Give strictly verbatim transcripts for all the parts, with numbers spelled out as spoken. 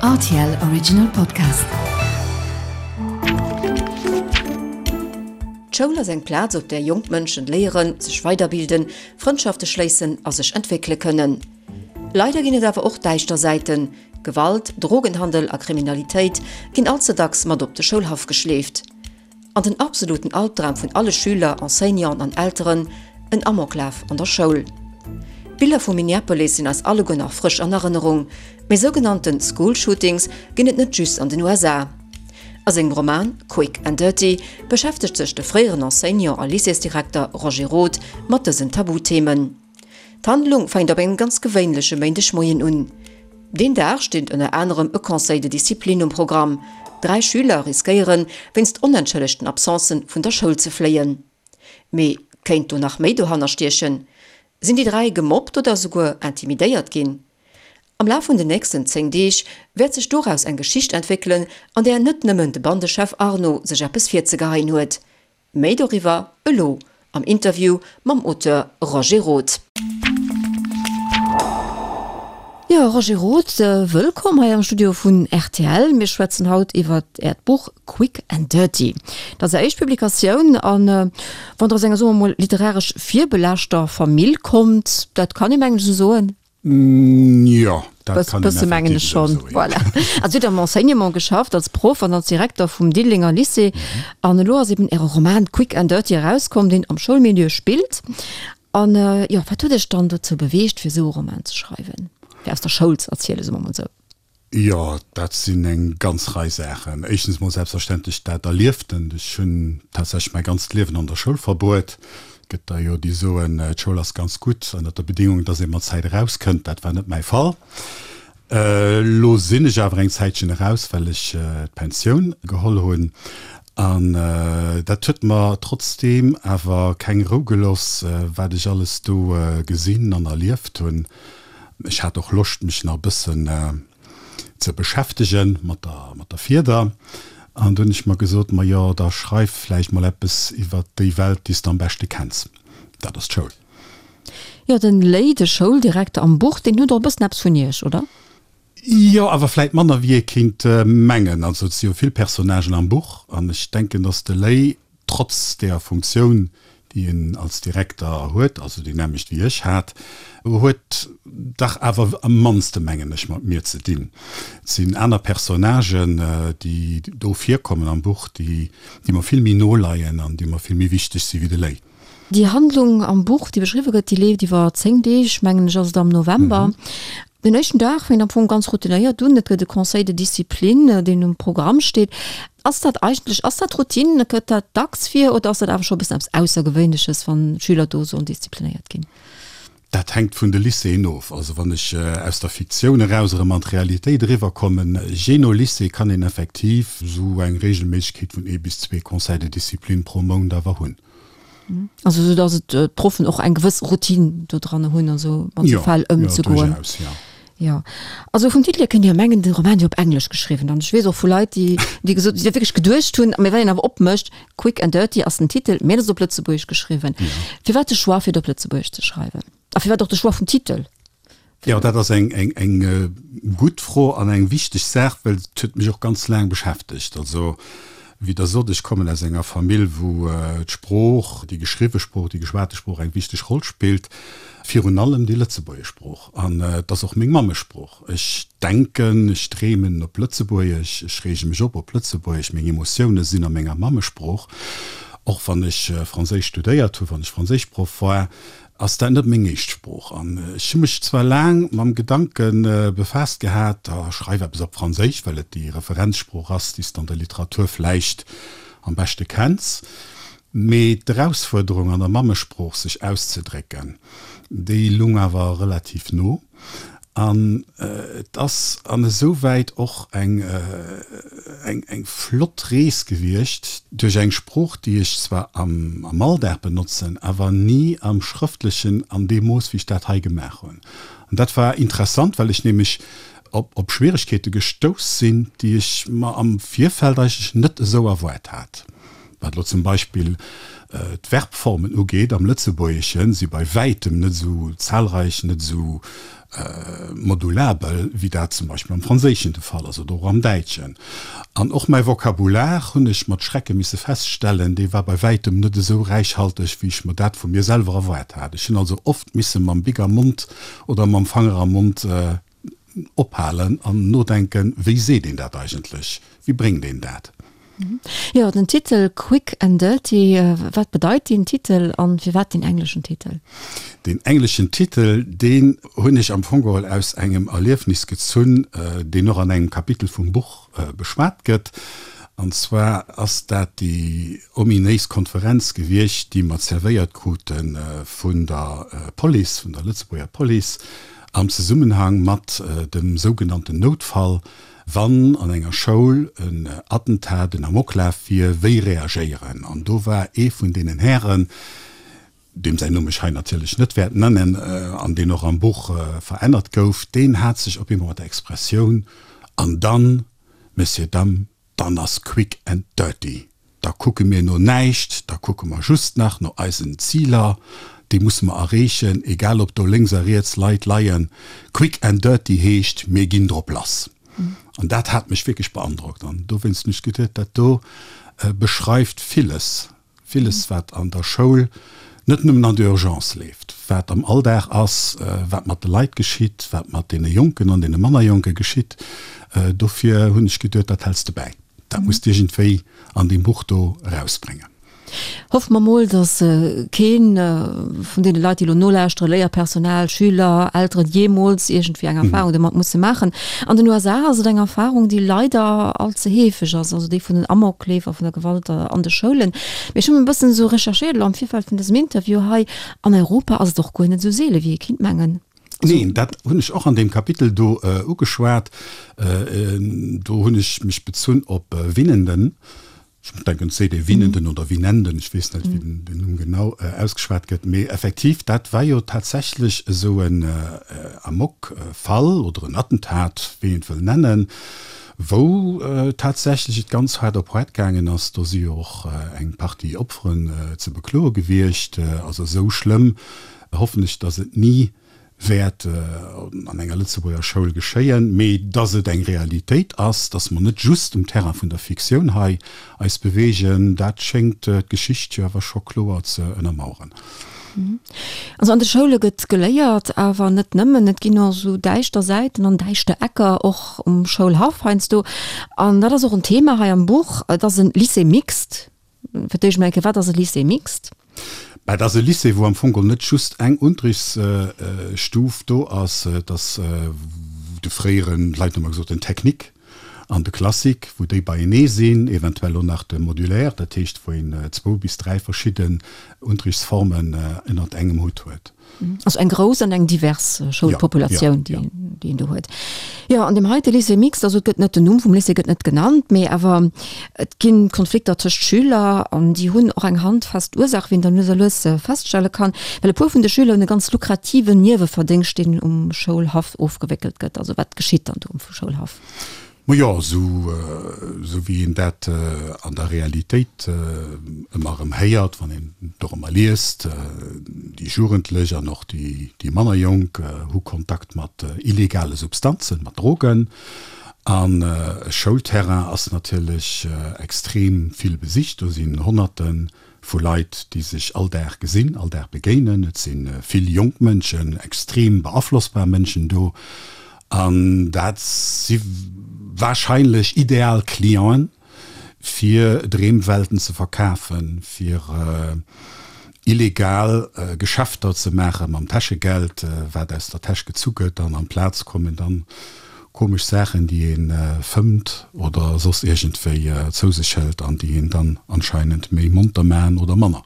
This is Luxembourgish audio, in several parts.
Rtl Original Podcast. D'Schoul ass eng Plaz, op där jonk Mënschen léieren, sech weiderbilden, Frëndschafte schléissen a sech entwéckele kënnen. Leider ginn et awer och däischter Säiten, Gewalt, Drogenhandel a Kriminalitéit ginn all ze dacks mat op de Schoulhaff geschleeft. An den absoluten Albdram vun alle Schüler, Enseignanten an Elteren, en Amoklaf an der Schoul. D'Biller vu Minneapolis sinn eis alleguer nach frësch an Erënnerung. Mee sougenannte School Shootings ginn et net just an den U S A. A sengem Roman Quick and Dirty beschäftegt sech de fréieren Enseignant a Lycéesdirekter Roger Roth mat dësen Tabuthemen. D'Handlung fänkt op engem ganz gewéinleche Méindegmoien un. Deen Dag steet ënner anerem e Conseil de discipline um Programm. Dräi Schüler riskéieren, wéinst onentschëllegten Absencen vun der Schoul ze fléien. Mee kéint do nach méi dohanner stiechen? Sinn déi dräi gemobbt oder souguer intimidéiert ginn? Am Laf vun den nächsten zéng Deeg wäert sech doraus eng Geschicht entwéckelen, an där net nëmmen de Bandechef Arno sech eppes virzegeheien huet. Méi doriwwer elo am Interview mam Auteur Roger Roth. Jo, Roger Roth, wëllkomm hei am Studio vun R T L. Mir schwätzen haut iwwer Äert Buch Quick and Dirty. Dat ass Är éischt Publikatioun an wann Der aus enger, soe mer mol, literaresch virbelaaschter Famill kommt, dat kann ee mengen ech esou soen? Jo, dat Bëss, kann een bësse mengen ech effektiv esou schonn. soen, ja. Voilà. Also Dir hutt am Enseignement geschafft, als Proff an als Direkter vum Diddelenger Lycée. An elo ass eben Äre Roman Quick and Dirty erauskomm, deen am Schoulmilieu spillt. An jo, wat huet Iech dann dozou beweegt, fir esou e Roman ze schreiwen? Fir aus der Schoul ze erzielen, soe mer mol esou. Jo, dat sinn eng ganz Rei Saachen. Éischtens mol selbstverständlech dat Erlieftent. Ech hunn tatsächlech mäi ganzt Liewen an der Schoul verbruet. Gëtt der jo, déi soen, d'Schoul ass ganz gutt, ënner der Bedingung, dass ee mat Zäit erauskënnt. Dat war net mäi Fall. Elo sinn ech awer eng Zäitchen eraus, well ech d'Pensioun geholl hunn. An dat huet mer trotzdeem awer keng Rou gelooss, wat ech alles do gesinn an erlieft hunn. Ech hat och Loscht, mech nach e bëssen ze beschäftegen mat der, mat der Fieder. An du hunn ech mer gesot, ma jo, da schreif vläicht mol eppes iwwer déi Welt, déi s de am beschte kenns. Dat ass d'Schoul. Jo, den Léi, de Schouldirekter am Buch, deen huet och e bëssen eppes vun Iech, oder? Jo, awer vläicht manner, wéi ee kéint mengen. Also et si jo vill Personnagen am Buch an ech denken, dass de Léi trotz der Funktioun, déi en als Direkter huet, also déi nämmlecht wéi ech hat, huet dach awer am mannste, mengen ech, mat mir ze dinn. Et sinn aner Personnagen, déi do virkommen am Buch, déi, déi mer vill méi no leien an déi mer vill méi wichteg si wéi de Léi. Déi Handlung am Buch, déi beschriwwe gëtt, déi leeft iwwer zéng Deeg, mengen ech, ass et am November. Den éischten Dag fänkt am Fong ganz routinéiert un. Et gëtt e Conseil de discipline, deen um Programm steet. Ass dat eigentlech, ass dat Routine, gëtt dat dacks vir oder ass dat awer scho e bëssen eppes Aussergewéinleches, wann Schüler do sollen disziplinéiert ginn? Dat hänkt vun de Lycéeën of. Also wann ech aus der Fiktioun eraus erëm an d'Realitéit eriwwerkommen, jee no Lycée kann een effektiv esou eng Regelméissegkeet vun ee bis zwee Conseils de discipline pro Mount awer hunn. Also sou dass et d'Proffen och eng gewëss Routine do dran hunn, also mat sou Jo, Fäll jo, ëmzegoen. duerchaus, ja. Jo, also vum Titel hier kënnt Dir jo mengen, de Roman wier op Englesch geschriwwen. An ech weess och vu Leit, déi, déi gesot, déi dat wierklech geduecht hunn, mee wann een awer opmécht, Quick and Dirty ass den Titel, mee et ass op Lëtzebuergesch geschriwwen. Ja. Firwat de Choix, fir et op Lëtzebuergesch ze schreiwen? A firwat och de Choix vum Titel? Jo, dat ass eng, eng, eng gutt Fro an eng wichteg Saach, well et huet mech och ganz laang beschäftegt. Also, wéi Der sot, ech kommen aus enger Famill, wou d'Sprooch, déi geschriwwe Sprooch, déi geschwate Sprooch eng wichteg Roll spillt, virun allem déi lëtzebuergesch Sprooch. An et ass och meng Mammesprooch. Ech denken, ech dreemen op Lëtzebuergesch, ech reege mech op op Lëtzebuergesch, meng Emotioune sinn a menger Mammesprooch. Och wann ech Franséisch studéiert hu, wann ech Franséischproff war, ass dat net meng éischt Sprooch. An ech hu mech zwar laang mam Gedanke befaasst gehat, da schreif eppes op Franséisch, well et déi Referenzsprooch ass, déi s de an der Literatur vläicht am beschte kenns. Mee d'Erausfuerderung an der Mammesprooch sech auszedrécken, déi lung awer relativ no. An et ass an esouwäit och eng, eng, eng flott Rees gewiescht duerch eng Sprooch, déi ech zwar am, am Alldag benotzen, awer ni am Schrëftlechen an deem Mooss, wéi ech dat hei gemaach hunn. An dat war interessant, well ech nämlech op, op Schwieregkeete gestouss sinn, déi ech mer am Virfeld eigentlech net esou erwaart hat. Wat elo zum Beispill d'Verbformen ugeet am Lëtzebuergeschen, si bei wäitem net esou zahlreich, net esou modulabel, wéi dat zum Beispill am Franséischen de Fall ass oder och am Däitschen. An och mäi Vokabular, hunn ech mat Schrecke misse feststellen, dee war bei wäitem net esou räichhalteg, wéi ech mer dat vu mir selwer erwaart hat. Ech hunn also oft misse mam Bic am Mond oder mam Fanger am Mond ophalen an nodenken, Wéi seet een dat eigentlech? Wéi bréngt een dat? Jo, den Titel Quick and Dirty, wat bedeit deen Titel an firwat deen engleschen Titel? Deen engleschen Titel, deen hunn ech am Fong geholl aus engem Erliefnis gezunn, deen och an engem Kapitel vum Buch beschwat gëtt. An zwar ass dat déi ominéis Konferenz gewiescht, déi mer zerwéiert krute vun der Police, vun der Lëtzebuerger Police, am Zesummenhang mat dem sougenannten Noutfall, Wann an enger Schoul en Attentat, en Amoklaf wier, wéi reagéieren? An do war ee vun deenen Hären, deem säin Numm ech hei natierlech net wäert nennen an deen och am Buch verännert gouf, deen hat sech op eemol mat der Expressioun An dann, Messieurs, Dames, dann ass quick and dirty. Da kucke mir no näischt, da kucke mer just nach no eisen Ziler, déi musse mer erreechen, egal ob do lénks a riets Leit leien. Quick and dirty heescht, mir ginn drop lass. An dat hat mech wierklech beandrockt an dowéinst hunn ech geduet, dat do beschreift villes, villes wat an der Schoul, net nëmmen an der Urgence leeft, wat am Alldag ass, wat mat de Leit geschitt, wat mat deene Jonken an deene manner Jonke geschitt. Dofir hunn ech geduet, dat häls de bäi, dat muss de iergendwéi an deem Buch do erausbréngen. Hoffe mer mol, datt kee vun deene Leit, déi elo nolauschteren, Léierpersonal, Schüler, Elteren, jeemools iergendwéi eng Erfahrung domat musse maachen. An den U S A ass et eng Erfahrung, déi leider all ze heefeg ass, also déi vun den Amokleef a vun der Gewalt an de Schoulen. Mee ech hunn e bëssen esou recherchéiert elo am Virfeld vun dësem Interview hei, an Europa ass et och guer net esou seele wéi ee kinnt mengen. Neen, dat hunn ech och an deem Kapitel do ugeschwat. Do hunn ech mech bezunn op Winnenden. Ech denken, et seet ee Winnenden oder Winenden, ech weess net, wéi den Numm genau ausgeschwat gëtt. Mee effektiv, dat war jo tatsächlech esou en Amokfall oder en Attentat, wéi een et wëll nennen, wou tatsächlech et ganz haart op haart gaangen ass. Do si jo och eng Partie Opferen ze bekloe gewiescht. Also esou schlëmm hoffen ech, datt et ni wäert an enger Lëtzebuerger Schoul geschéien, mee dass et eng Realitéit ass, dass mer net just um Terrain vun der Fiktioun hei eis beweegen, dat schéngt d'Geschicht jo awer scho kloer ze ënnermaueren. Also an de Schoule gëtt geléiert, awer net nëmmen. Et ginn och esou däischter Säiten an däischter Ecker, och um Schoulhaff heiansdo. An dat ass och en Thema hei am Buch. Et ass e Lycée mixte. Fir d'éischt mol eng Kéier, wat ass e Lycée mixte? Bah, et ass e Lycée, wou am Fong geholl net just eng Unterrichtsstuf do ass. Et ass de fréieren, d'Leit hu ëmmer gesot, den Technique an de Classique, wou déi beienee sinn, eventuell och nach de Modulaire, dat heescht, wou een zwou bis dräi verschidden Unterrichtsformen ënnert engem Hutt huet. Also eng grouss an eng divers Schoulpopulatioun, déi een do huet. Jo, an deem heite Lycée mixte, also et gëtt net, den Numm vum Lycée gëtt net genannt, mee awer et gi Konflikter tëscht Schüler an déi hunn och eng handfest Ursaach, wéi een dann lues a lues feststelle kann, well e puer vun de Schüler hunn e ganz lukrativen Nieweverdéngscht, deen um Schoulhaff ofgewéckelt gëtt. Also wat geschitt dann do um Schoulhaff? Majo, esou wéi een dat an der Realitéit ëmmer erëm héiert, wann een dorëmmer liest, déi Jugendlech an och déi manner Jonk hu Kontakt mat illegale Substanzen, mat Drogen. An e Schoulterrain ass natierlech extrem vill besicht. Do sinn Honnerte vu Leit, déi sech all Dag gesinn, all Dag begéinen. Et si vill jonk Mënschen, extrem beaflossbar Mënschen do. An dat si warscheinlech ideal Clienten, fir Dreemwelten ze verkafen, fir illegal Geschäfter ze maache mam Täschegeld, wat aus der Täsch gezu gëtt. An amplaz kommen dann komesch Saachen, déi ee fëmmt oder soss iergendwéi zou sech hëlt an déi een dann anscheinend méi monter maachen oder manner.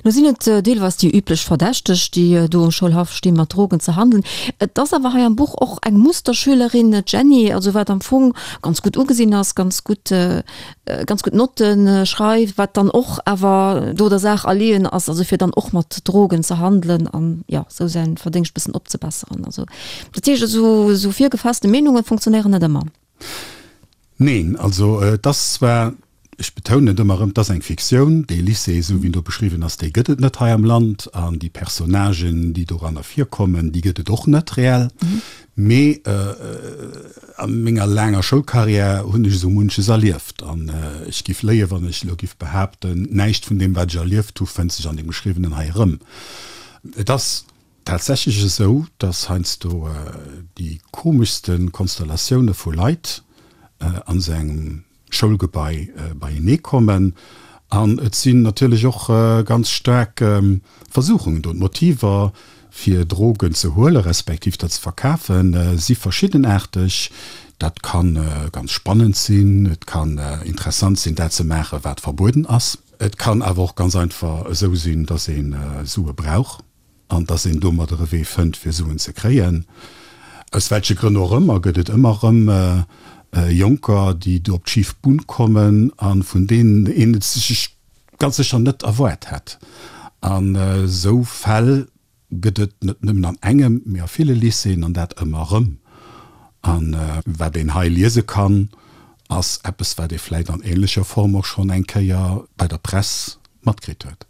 Lo sinn et deelweis déi üblech Verdächteg, déi do um Schoulhaff stinn, mat Drogen ze handelen. Et ass awer hei am Buch och eng Musterschülerin, d'Jenny, also wat am Fong ganz gutt ugesinn ass, ganz gutt, ganz gutt Notte schreift, wat dann och awer do der Saach erleeën ass, also fir dann och mat Drogen ze handelen an, jo, esou säin Verdéngscht bëssen opzebesseren. Also dat heescht, esou, esou virgefasste Meenunge funktionéieren net ëmmer. Neen, also et ass zwar, Ech betounen et ëmmer erëm, et ass eng Fiktioun. Dee Lycée, esou wéi en do beschriwwen ass, dee gëtt et net hei am Land. An déi Personnagen, déi doranner virkommen, déi gëtt et och net reell. Mee a menger laanger Schoulcarrière hunn ech esou munches erlieft. An ech giff léien, wann ech elo giff behaapten, näischt vun deem, wat ech erlieft hu, fënnt sech an deem Geschriwwenen hei erëm. Et ass tatsächlech esou, dass heiansdo déi komeschste Konstellatioune vu Leit an esou engem Schoulgebai beienee kommen. An et sinn natierlech och ganz staark Versuchungen do. D'Motiver, fir Drogen ze huele respektiv der ze verkafen, si verschiddenaarteg. Dat ka ganz spannend sinn, et kann interessant sinn, dat ze maachen, wat verbueden ass. Et kann awer och ganz einfach esou sinn, dass ee Sue brauch an dass een domadder e Wee fënnt, fir Suen ze kréien. Aus welche Grënn och ëmmer gëtt et ëmmer erëm Jonker, déi do op d'schif Bunn kommen a vun deenen een et sech ganz sécher net erwaart hätt. An esou Fäll gëtt et net nëmmen an engem, mee a ville Lycéeën, an dat ëmmer erëm. A wat een hei liese kann, ass eppes, wat ee vläit an änlecher Form och schonn eng Kéier bei der Press matkritt huet.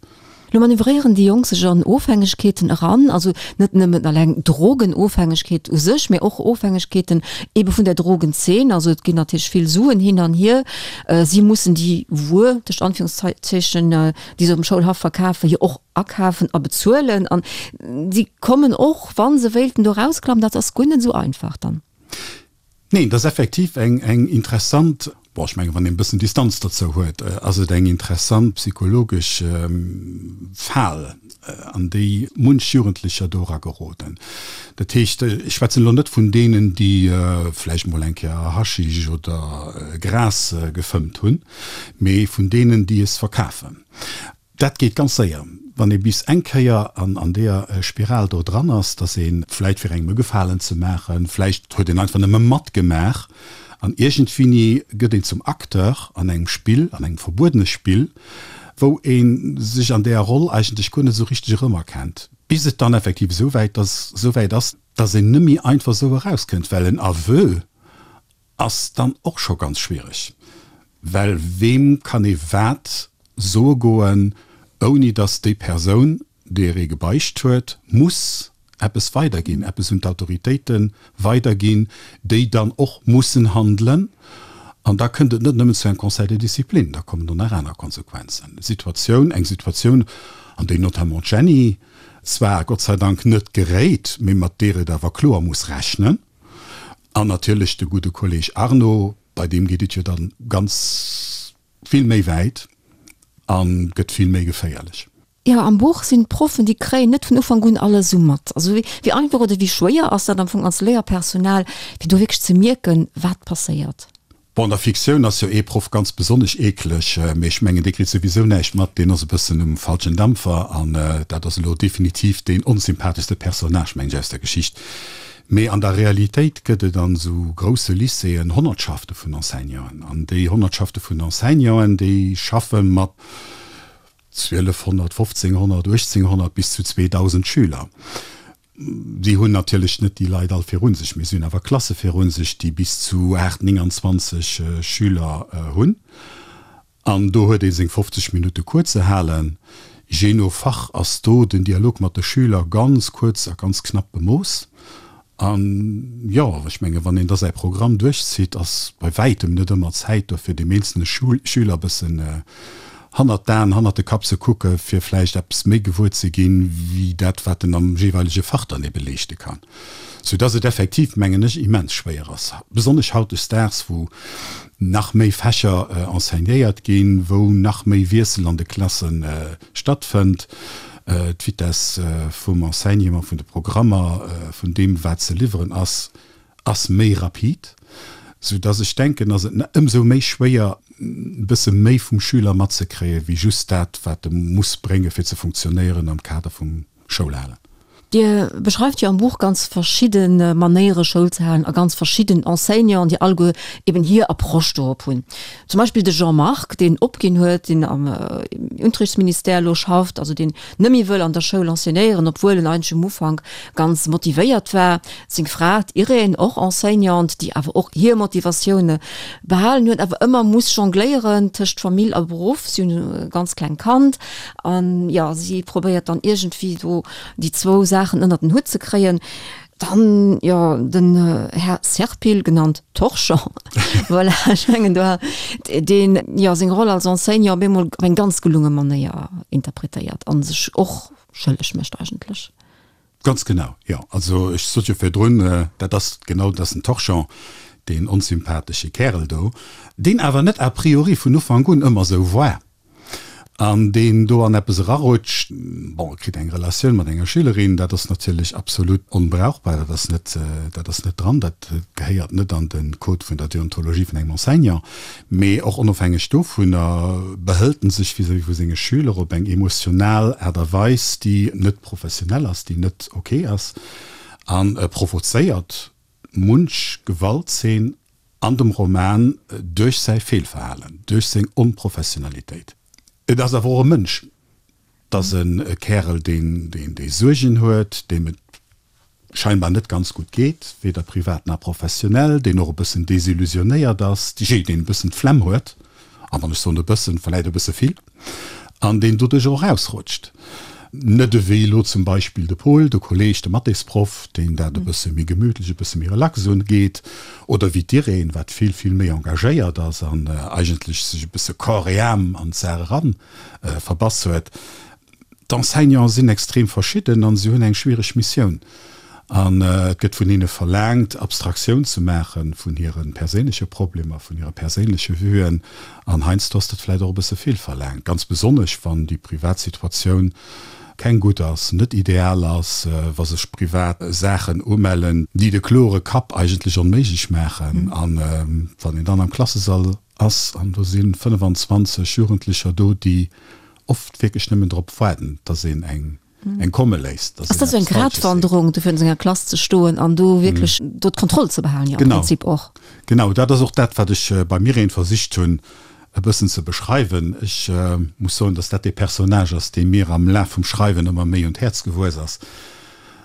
Lo manövréieren déi Jonk sech an Ofhängegkeeten eran, also net nëmmen alleng Drogenofhängegkeet u sech, mä och Ofhängegkeeten ebe vun der Drogenzeen. Also et ginn natierlech vill Suen hin an hier. Si mussen déi Wuer, tëscht Anführungszeechen, déi se op dem Schoulhaff verkafen, jo och akafen a bezuelen. An si kommen och, wa se wéilten do erausklammen, dat ass guer net esou einfach dann. Neen, et ass effektiv eng eng interessant, bon, ech mengen, wann een e bëssen Distanz dozou huet, ass et eng interessant psychologesch Fal, an déi munch Jugendlecher do erageroden. Dat heescht, ech schwätzen elo net vun deenen, déi vläicht mol eng Kéier Haschisch oder Gras gefëmmt hunn, mee vun deenen, déi es verkafen. Dat geet ganz séier, wann ee bis eng Kéier an deeër Spiral do dran ass, dass ee vläicht fir engem e Gefalen ze maachen, vläicht huet een einfach nëmme matgemaach an iergendwéini gëtt een zum Acteur an engem Spill, an engem verbuedene Spill, wou ee sech an deeër Roll eigentlech guer net esou richteg erëmerkennt, bis et dann effektiv esou wäit ass, esou wäit ass, dass een net méi einfach esou erauskënnt, well en Aveu ass dann och scho ganz schwiereg, well weem kann ee wat soe goen, ouni datt déi Persoun, deeër ee gebeicht huet, muss eppes weiderginn, eppes un d'Autoritéite weiderginn, déi dann och mussen handelen. An da kënnt et net nëmmen zu engem Conseil de discipline, da kommen och nach aner Konsequenzen. Situatioun, eng Situatioun, an déi notamment d'Jenny zwar Gott sei Dank net geréit, mee mat deer et awer kloer muss rechnen. An natierlech de gudde Kolleg Arno, bei deem geet et jo dann ganz vill méi wäit a gëtt vill méi geféierlech. Jo, am Buch sinn d'Proffen, déi kréien net vun Ufank un alles esou mat. Also wéi einfach oder wéi schwéier ass dat am Fong als Léierpersonal, fir do wierklech ze mierken, wat passéiert? Bon, an der Fiktioun ass jo ee Proff ganz besonnesch eekleg, mee ech mengen, dee kritt souwisou näischt mat, deen ass e bëssen um falschen Dampfer an dat ass elo definitiv deen onsympatheschste Personnage, mengen ech, aus der Geschicht. Mee an der Realitéit gëtt et an esou grousse Lycéeën Honnertschafte vun Enseignanten an déi Honnertschafte vun Enseignanten, déi schaffe mat zwielefhonnert, fofzénghonnert, uechtzénghonnert bis zu zweedausend Schüler. Si hunn natierlech net déi Leit all viru sech, mee si hunn awer Klasse viru sech, déi bis zu aacht, nénganzwanzeg Schüler hunn. An do huet ee seng fofzeg Minutte Cours ze halen. Jee no Fach ass do den Dialog mat de Schüler ganz kuerz a ganz knapp bemooss. An, jo, ech menge wann een da säi Programm duerchzitt, ass bei wäitem net ëmmer Zäit do, fir deem eenzelne Schüler e bëssen hannert d'Aen, hannert de Kapp ze kucke fir vläicht eppes méi gewuer ze ginn, wéi dat, wat en am jeeweilege Fach dann ebe leeschte kann. Soudass et effektiv, mengen ech, immens schwéier ass, besonnesch hautdesdaags, wou nach méi Fächer enseignéiert ginn, wou nach méi Wiessel an de Klasse stattfënnt, d'Vitesse vum Enseignement, vun de Programmer, vun deem, wat ze liwweren ass, ass méi rapid, soudass ech denken, ass et ëmsou méi schwéier, e bësse méi vum Schüler matzekréien, wéi just dat, wat e muss bréngen, fir ze funktionéieren am Kader vum Schoulhalen. Dir beschreift jo am Buch ganz verschidde Manéiere Schoul ze halen a ganz verschidden Enseignanten, déi alleguer eben hir Approche dorop hunn. Zum Beispill de Jean-Marc, deen opginn huet, deen am Unterrichtsministère elo schafft, also deen net méi wëll an der Schoul enseignéieren, obwuel en eigentlech um Ufank ganz motivéiert war. Seng Fra, d'Irène, och Enseignante, déi awer och hir Motivatioune behalen huet, awer ëmmer muss jongléieren tëscht Famill a Beruff. Si hunn e ganz klengt Kand an, jo, si probéiert dann iergendwéi do déi zwou Saachen ënnert den Hutt ze kréien. Dann, jo, den Här Serpil, genannt Torchon, voilà, ech mengen do, deen, jo, seng Roll als Enseignant op eemol op eng ganz gelunge Manéier interpretéiert a sech och schëlleg mécht eigentlech. Ganz genau, jo. Also ech sot jo virdrun, dat ass genau, dat ass den Torchon, deen onsympathesche Kärel do, deen awer net a priori vun Ufank un ëmmer esou war an deen do an eppes erarutscht. Bon, e kritt eng Relatioun mat enger Schülerin, dat ass natierlech absolut onbrauchbar, dat ass net, dat ass net dran, dat gehéiert net an de Code vun der Deontologie vun engem Enseignant. Mee och onofhängeg dovunner behëlt en sech vis-à-vis vu senge Schüler op eng emotional Aart a Weis, déi net professionell ass, déi net ok ass a provozéiert munch Gewaltzeen an dem Roman duerch säi Feelverhalen, duerch seng Onprofessionalitéit. Et ass awer och e Mënsch. Et ass e Kärel, deen dee Suergen huet, deem et scheinbar net ganz gutt geet, weder privat nach professionell, deen och e bëssen desillusionéiert ass, jee, deen e bëssen d'Flemm huet, an wann ech soen e bëssen, vläit e bësse vill, an deen doduerch och erausrutscht. Net ewéi elo zum Beispill de Pol, de Kolleg, de Mathésproff, deen dat e bësse méi gemütlech, e bësse méi relax ungeet, oder wéi d'Irène, wat vill, vill méi engagéiert ass an eigentlech sech e bësse corps et âme an d'Saach eran verbass huet. D'Enseignante sinn extrem verschidden an si hunn eng schwiereg Missioun. An et gëtt vun hinne verlaangt, Abstraktioun ze maache vun hire perséinleche Problemer, vun hire perséinleche Vuen. An heiansdo ass dat vläicht och e bësse vill verlaangt, ganz besonnesch wann déi privat Situatioun keng gutt ass, net ideal ass, wa sech privat Saachen umellen, déi de klore Kapp eigentlech onméiglech maachen. A wann een dann am Klassesall ass an do si fënnefanzwanzeg Jugendlecher do, déi oft wierklech nëmmen drop waarden, dass een eng eng komme léisst. Ass dat esou eng Gratwanderung, do virun senger Klass ze stoen an do wierklech do d'Kontroll ze behalen, jo am Prinzip och? Genau, dat ass och dat, wat ech beim Irène versicht hunn e bëssen ze beschreiwen. Ech muss soen, dass dat dee Personnage ass, dee mir am Laf vum Schreiwen ëmmer méi un d'Häerz gewuess ass.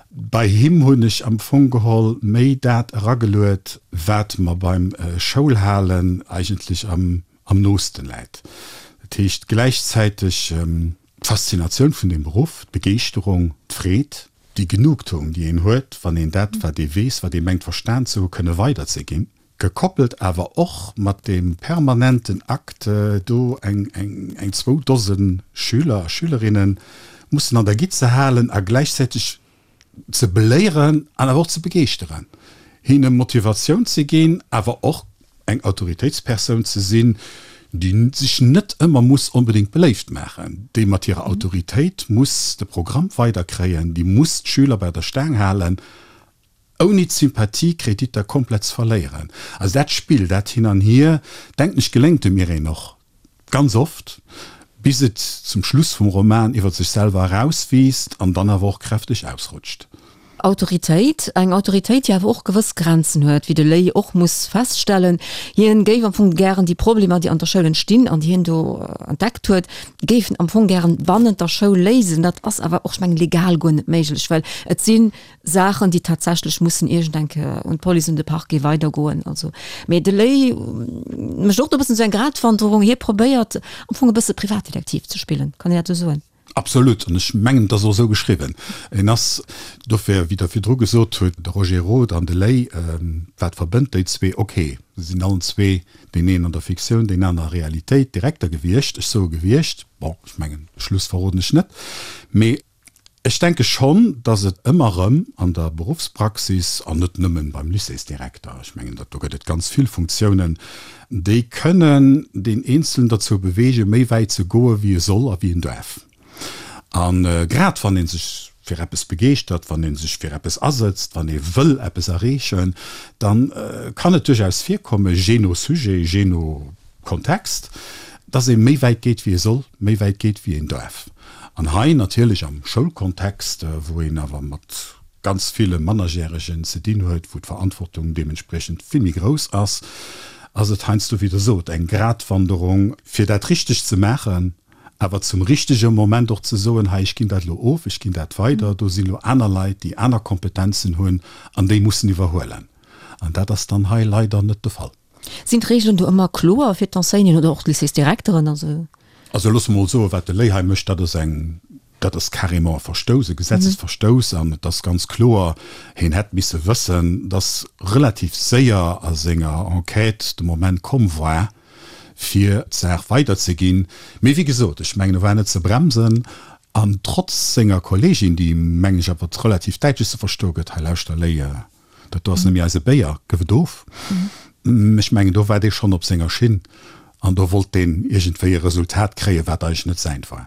Bei him hunn ech am Fong geholl méi dat erageluet, wat mer beim Schoulhalen eigentlech am am noosten läit. Dat heescht gläichzäiteg d'Faszinatioun vun deem Beruff, d'Begeeschterung, d'Freed, déi Genugtuung, déi een huet, wann een dat, wat ee weess, wat ee mengt verstan ze hu kënne weiderzeginn, gekoppelt awer och mat deem permanenten Akt, do eng eng zwou Dose Schüler a Schülerinne mussen an der Gitt ze halen a gläichzäiteg ze beléieren an awer och ze begeeschteren, hinne Motivatioun ze ginn, awer och eng Autoritéitspersoun ze sinn, déi sech net ëmmer muss onbedéngt beléift maachen, déi mat hirer Autoritéit muss de Programm weiderkréien, déi muss d'Schüler bei der Staang halen, ouni d'Sympathiekreditter komplett ze verléieren. Also dat Spill, dat Hin an Hier, denken ech, geléngt dem Irène och ganz oft, bis et zum Schluss vum Roman iwwer sech selwer erauswiisst an dann awer och kräfteg ausrutscht. Autoritéit, eng Autoritéit, déi awer och gewëss Grenzen huet, wéi de Léi och muss feststellen. Hien géif am Fong gären déi Problemer, déi an der Schoul entstinn an déi hien do entdeckt huet, géif en am Fong gären bannent der Schoul léisen. Dat ass awer och, ech mengen, legal guer net méiglech, well et si Saachen, déi tatsächlech mussen iergend eng Kéier un d'Police, un de Parquet weidergoen. Also, mee de Léi mécht och do e bëssen esou eng Gratwanderung. Hie probéiert am Fong e bësse Privatdetektiv ze spillen, kann een dat esou soen? Absolut, an ech mengen, et ass och esou geschriwwen. En ass dofir, wéi Der virdru gesot hutt, de Roger Roth an de Ley, wat verbënnt déi zwee? Ok, se sinn allen zwee, deen een an der Fiktioun, deen aner a Realitéit, Direkter gewiescht. Ech soe gewiescht, bon, ech mengen, de Schluss verroden ech net, mee ech denke schonn, datt et ëmmer erëm an der Beruffspraxis, an net nëmmen beim Lycéesdirekter, ech mengen, dat do gëtt et ganz vill Funktiounen, déi kënnen deen Eenzelen derzou beweegen, méi wäit ze goe wéi e soll a wéi en duerf. A grad wann ee sech fir eppes begeeschtert, wann ee sech fir eppes asëtzt, wann ee wëll eppes erreechen, da kann et duerchaus virkommen, jee no Sujet, jee no Kontext, dass ee méi wäit geet wéi ee soll, méi wäit geet wéi een duerf. An hei natierlech am Schoulkontext, wou een awer mat ganz ville Mannerjäregen ze dinn huet, wou d'Verantwortung deementspriechend vill méi grouss ass, ass et heiansdo, wéi Der sot, eng Gratwanderung, fir dat richteg ze maachen, awer zum richtege Moment och ze soen, hei, ech ginn dat elo of, ech ginn dat weider, do sinn elo aner Leit, déi aner Kompetenzen hunn an déi mussen iwwerhuelen. An dat ass dann hei leider net de Fall. Sinn d'Reegelen do ëmmer kloer fir d'Enseignanten oder och d'Lycéesdirekteren? Also. Also loosse mer mol soen, wat de Léi hei mécht, dat ass eng, dat ass carrément e Verstouss, e Gesetzesverstouss. An et ass ganz kloer, hien hätt misse wëssen, dass relativ séier a senger Enquête de Moment komm war, fir d'Saach weiderzeginn. Mee wéi gesot, ech mengen, e war net ze bremsen. An trotz senger Kolleegin, déi em, mengen ech, awer relativ däitlech ze verstoe gëtt, Hei lauschter Léi, dat do ass net méi eise Béier, gëff et of. Ech mengen, do war dee schonn op senger Schinn an do wollt deen iergendwéi e Resultat kréien, wat eigentlech net säint war.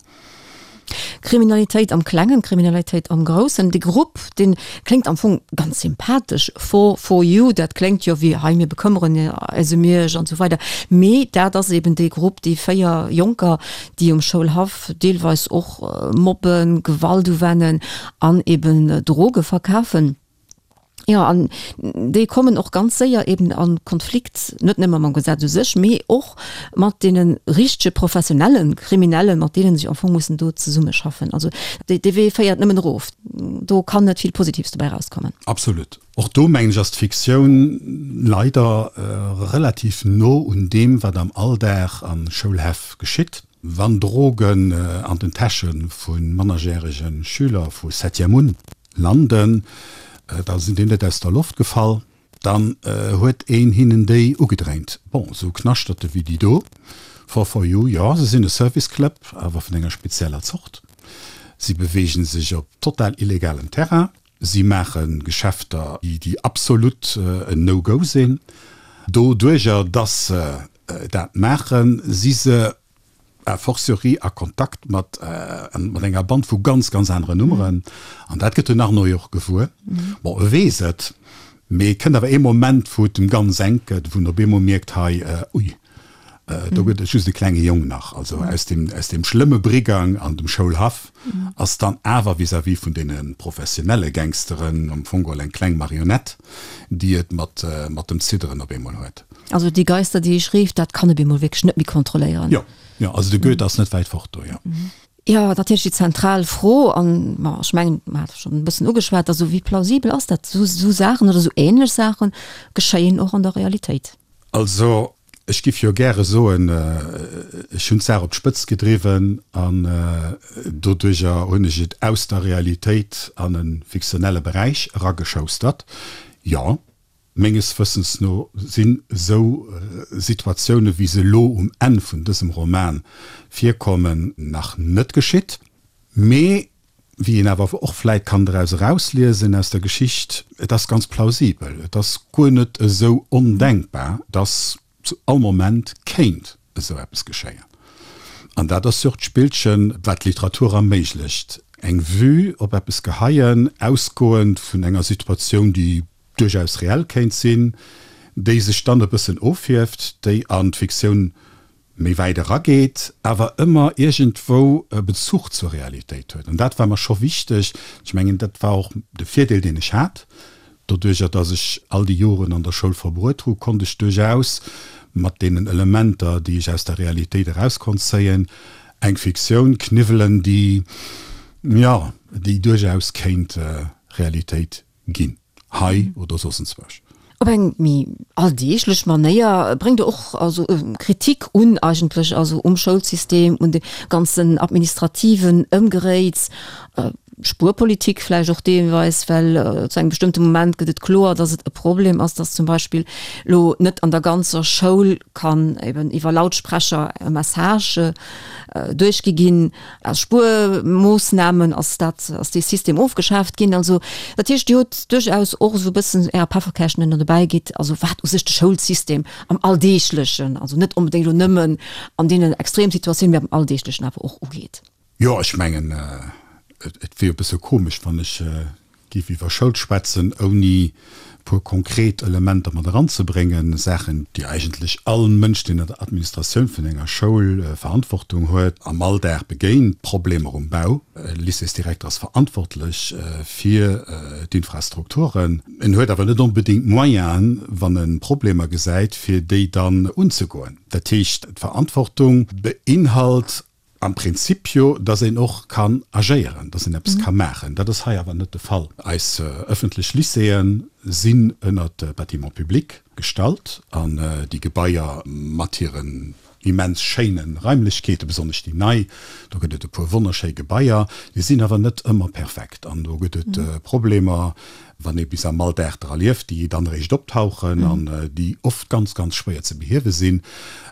Kriminalitéit am Klengen, Kriminalitéit am Groussen. Dee Grupp, dee kléngt am Fong ganz sympathesch, Four for you, dat kléngt jo wéi, hei mir bekëmmeren eis ëm iech an esou weider. Mee dat ass eben dee Grupp, déi véier Jonker, déi um Schoulhaff deelweis och mobben, Gewalt uwennen an eben Droge verkafen. Jo, an déi kommen och ganz séier eben a Konflikt, net nëmme mam Gesetz u sech, mee och mat deene richtege professionelle Kriminellen, mat deenen se am Fong mussen do zesummeschaffen. Also dee Wee féiert nëmmen erof. Do kann net vill Positives dobäi erauskommen. Absolut. Och do, mengen ech, ass d'Fiktioun leider relativ no un deem, wat am Alldag a Schoulhäff geschitt. Wann Drogen an den Täsche vu mannerjärege Schüler vu Septième un landen, da sinn déi net aus der Loft gefall, dann huet een hinnen déi ugedréint. Bon, esou Knaschterte wéi déi do, Four for You, jo, se sinn e Service Club, awer vun enger spezieller Zort. Si beweegen sech op total illegalem Terrain, si maache Geschäfter, déi absolut en No-Go sinn. Doduerjer, dass se dat maachen, si se a fortiori a Kontakt mat mat enger Band vu ganz, ganz aneren Nummeren. An dat gëtt den Arnaud jo och gewuer. Bon, e weess et, mee et kënnt awer ee Moment, wou et em ganz enk gëtt, wou en op eemol mierkt, hei, ui, do gëtt et just e klenge Jong nach. Also aus deem, aus deem schlëmme Brigang an dem Schoulhaff ass dann awer vis-à-vis vun deene professionelle Gangsteren am Fong geholl eng kleng Marionett, déi et mat, mat dem Zidderen op eemol huet. Also déi Geister, déi ech rief, dat kann op eemol wierklech net méi kontrolléieren. Jo. Jo, also de Goethe ass net wäit fort do, jo. Jo, natierlech déi zentral Fro, an ma ech mengen, mer hat schonn e bëssen ugeschwat, also wéi plausibel ass dat, esou esou Saachen oder esou ähnlech Saache geschéien och an der Realitéit? Also ech giff jo gäre soen, ech hunn d'Saach op d'Spëtzt gedriwwen an doduerjer hunn ech et aus der Realitéit an e fiktionelle Beräich erageschoustert. Jo. Menges Wëssens no sinn esou Situatioune wéi se elo um Enn vun dësem Roman virkommen nach net geschitt. Mee wéi een awer och vläit kann draus erausliesen aus der Geschicht, et ass ganz plausibel, et ass guer net esou ondenkbar, dass zu all Moment kéint esou eppes geschéien. An dat ass jo och d'Spillchen, wat d'Literatur erméiglecht, eng Vue op eppes geheien, ausgoend vun enger Situatioun, déi duerchaus reell kéint sinn, déi sech dann e bëssen ofhieft, déi an d'Fiktioun méi wäit erageet, awer ëmmer iergendwou e Bezuch zur Realitéit huet. An dat war mer scho wichteg. Ech mengen, dat war och de Virdeel, deen ech hat. Doduerjer, dass ech all déi Joren an der Schoul verbruet hu, konnt ech duerchaus mat deenen Elementer, déi ech aus der Realitéit eraus konnt zéien, eng Fiktioun kniwwelen, déi, jo, déi duerchaus kéint Realitéit ginn, hei oder soss enzwousch. Op eng méi alldeeglech Manéier bréngt e och also Kritik un eigentlech, also um Schoulsystem, un de ganzen administrativen Ëmgeréits, Spuerpolitik vläicht och deelweis, well zu engem bestëmmte Moment gëtt et kloer, datt et e Problem ass, datt zum Beispill elo net an der ganzer Schoul kann eben iwwer Lautsprecher e Message duerchgi ginn. Aus Spuermoossnamen ass dat, ass dee System ofgeschaaft ginn. Also dat heescht, Dir hutt duerchaus och esou e bëssen Äre Pefferkäerchen, deen Der dobäi gitt, also wat u sech de Schoulsystem am Alldeeglechen, also net onbedéngt elo nëmmen an deenen Extremsituatiounen, mee am Alldeeglechen awer och ugeet. Jo, ech mengen, et wier e bësse komesch, wann ech géif iwwer Schoul schwätzen, ouni puer konkret Elementer mat eranzebréngen, Saachen, déi eigentlech all Mënsch, deen an der Administratioun vun enger Schoul Verantwortung huet, am Alldag begéint, Problemer um Bau. E Lycéesdirekter ass verantwortlech fir d'Infrastrukturen. En huet awer net onbedéngt d'Moyenen, wann e Problemer gesäit, fir déi dann unzegoen. Dat heescht, d'Verantwortung beinhalt am Prinzip jo, dass een och kann agéieren, dass een eppes ka maachen. Dat ass hei awer net de Fall. Eis ëffentlech Lycéeë sinn ënnert de Bâtiments publics gestallt an déi Gebaier mat hiren immens schéine Raimlechkeeten, besonnesch déi nei, do gëtt et e puer wonnerschéi Gebaier, déi sinn awer net ëmmer perfekt an do gëtt et Problemer, wann ee bis am Alldag dra lieft, déi dann eréischt optauchen an déi oft ganz, ganz schwéier ze behiewe sinn.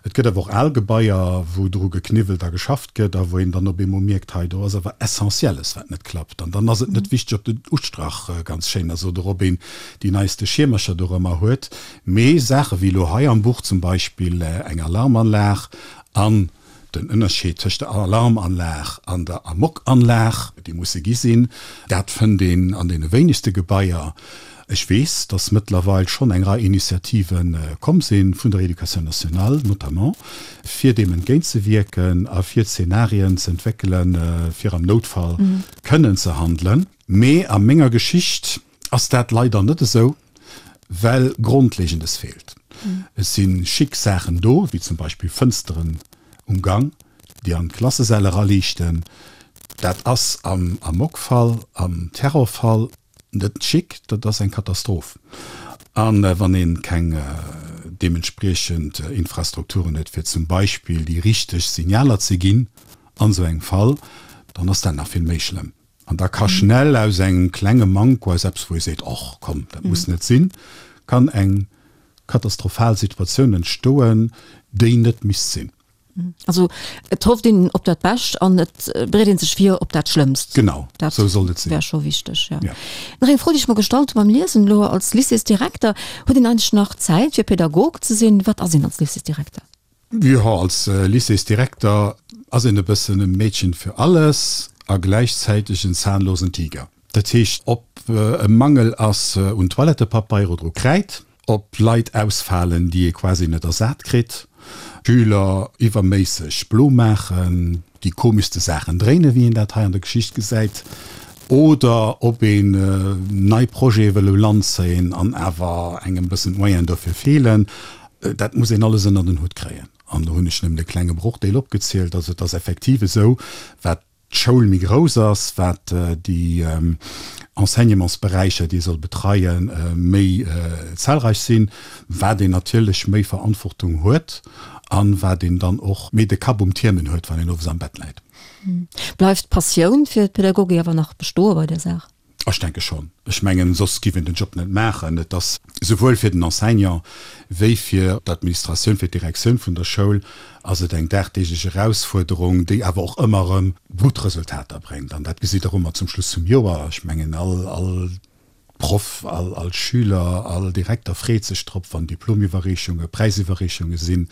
Et gëtt awer och al Gebaier, wou dru gekniwwelt a geschafft gëtt a wou een dann op eemol mierkt, hei do ass awer Essentielles, wat net klappt. An dann ass et net wichteg, ob den Ustrach ganz schéin ass oder ob een déi neiste Schiermercher dorëmmer huet, mee Saache wéi elo hei am Buch zum Beispill eng Alarmanlag an Den Ënnerscheed tëscht der Alarmanlag an der Amokanlag, déi musse gi sinn, dat fënnt een an deene wéinegste Gebaier. Ech weess, datt mëttlerweil schonn eng Rei Initiative komm sinn, vun der Éducation nationale notamment, fir deem entgéintzewierken a fir Zenarien ze entwéckelen, fir am Noutfall kënnen ze handelen. Mee a menger Geschicht ass dat leider net esou, well Grondlegendes feelt. Et si chic Saachen do, wéi zum Beispill Fënsteren um Gang, déi an d'Klassesäll eraliichten. Dat ass am Amokfall, am Terrorfall net chic, dat ass eng Katastroph. A wann ee keng deementspriechend Infrastrukturen huet, fir zum Beispill déi richteg Signaler ze ginn an esou engem Fall, dann ass dat nach vill méi schlëmm. An da ka schnell aus engem klenge Manko, aus eppes, wou ee seet, Och komm, dat muss net sinn, kann eng katastrophal Situatioun entstoen, déi net misst sinn. Also et hofft een op dat Bescht an et bereet een sech vir op dat Schlëmmst. Genau, esou soll et sinn. Dat wär scho wichteg, jo. Ja. Nach eng Fro, déi ech mer gestallt hu beim Liesen elo als Lycéesdirekter, Huet een eigentlech nach Zäit fir Pädagog ze sinn? Wat ass een als Lycéesdirekter? Jo, als Lycéesdirekter ass een e bëssen e Mädchen für alles a gläichzäiteg en zahnlosen Tiger. Dat heescht, ob e Mangel ass un Toilettepapeier oder u Kräid, ob Leit ausfalen, déi ee quasi net ersat kritt, Schüler iwwerméisseg blo maachen, déi komeschste Saachen dréinen, wéi een dat hei an der Geschicht gesäit, oder ob een nei Projete wëll u Land zéien an awer engem bëssen d'Moyenen dofir feelen, dat muss een alles ënnert en Hutt kréien. An do hunn ech nëmmen e klenge Brochdeel opgezielt. Also et ass effektiv esou, wat d'Schoul méi grouss ass, wat déi Enseignementsberäicher, déi ee soll betreien, méi zahlreich sinn, wat een natierlech méi Verantwortung huet a wat een dann och méi de Kapp um Tiermen huet, wann een owes am Bett läit. Bleift d'Passioun fir d'Pädagogik awer nach bestoe bei där Saach? Ech denke schonn. Ech mengen, soss giff een den Job net maachen. Et ass souwuel fir den Enseignant wéi fir d'Administratioun, fir d'Direktioun vun der Schoul ass et eng dagdeeglech Erausfuerderung, déi awer och ëmmer erëm gutt Resultater bréngt. An dat gesitt Der och ëmmer zum Schluss vum Joer. Ech mengen, all, all Proff, all, all Schüler, all Direkter freet sech drop, wann Diplomiwwerreechunge, Präisiwwerreechunge sinn,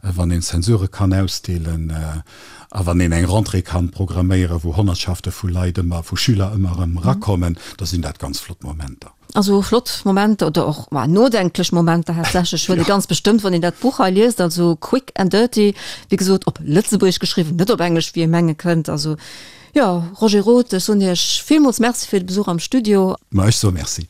wann een Zensurë kann ausdeelen. A wann een eng Rentrée kann programméieren, wou Honnertschafte vu Leit ëmmer, vu Schüler ëmmer erëm erakommen, da sinn dat ganz flott Momenter. Also flott Momenter oder och nodenklech Momenter haaptsächlech huet ee ganz bestëmmt, wann een dat Buch hei liest. Also Quick and Dirty, wéi gesot op Lëtzebuergesch geschriwwen, net op Englesch, wéi ee menge kënnt. Also jo, Roger Roth, ech soen Iech villmools Merci fir de Besuch am Studio. Ma ech soe Merci.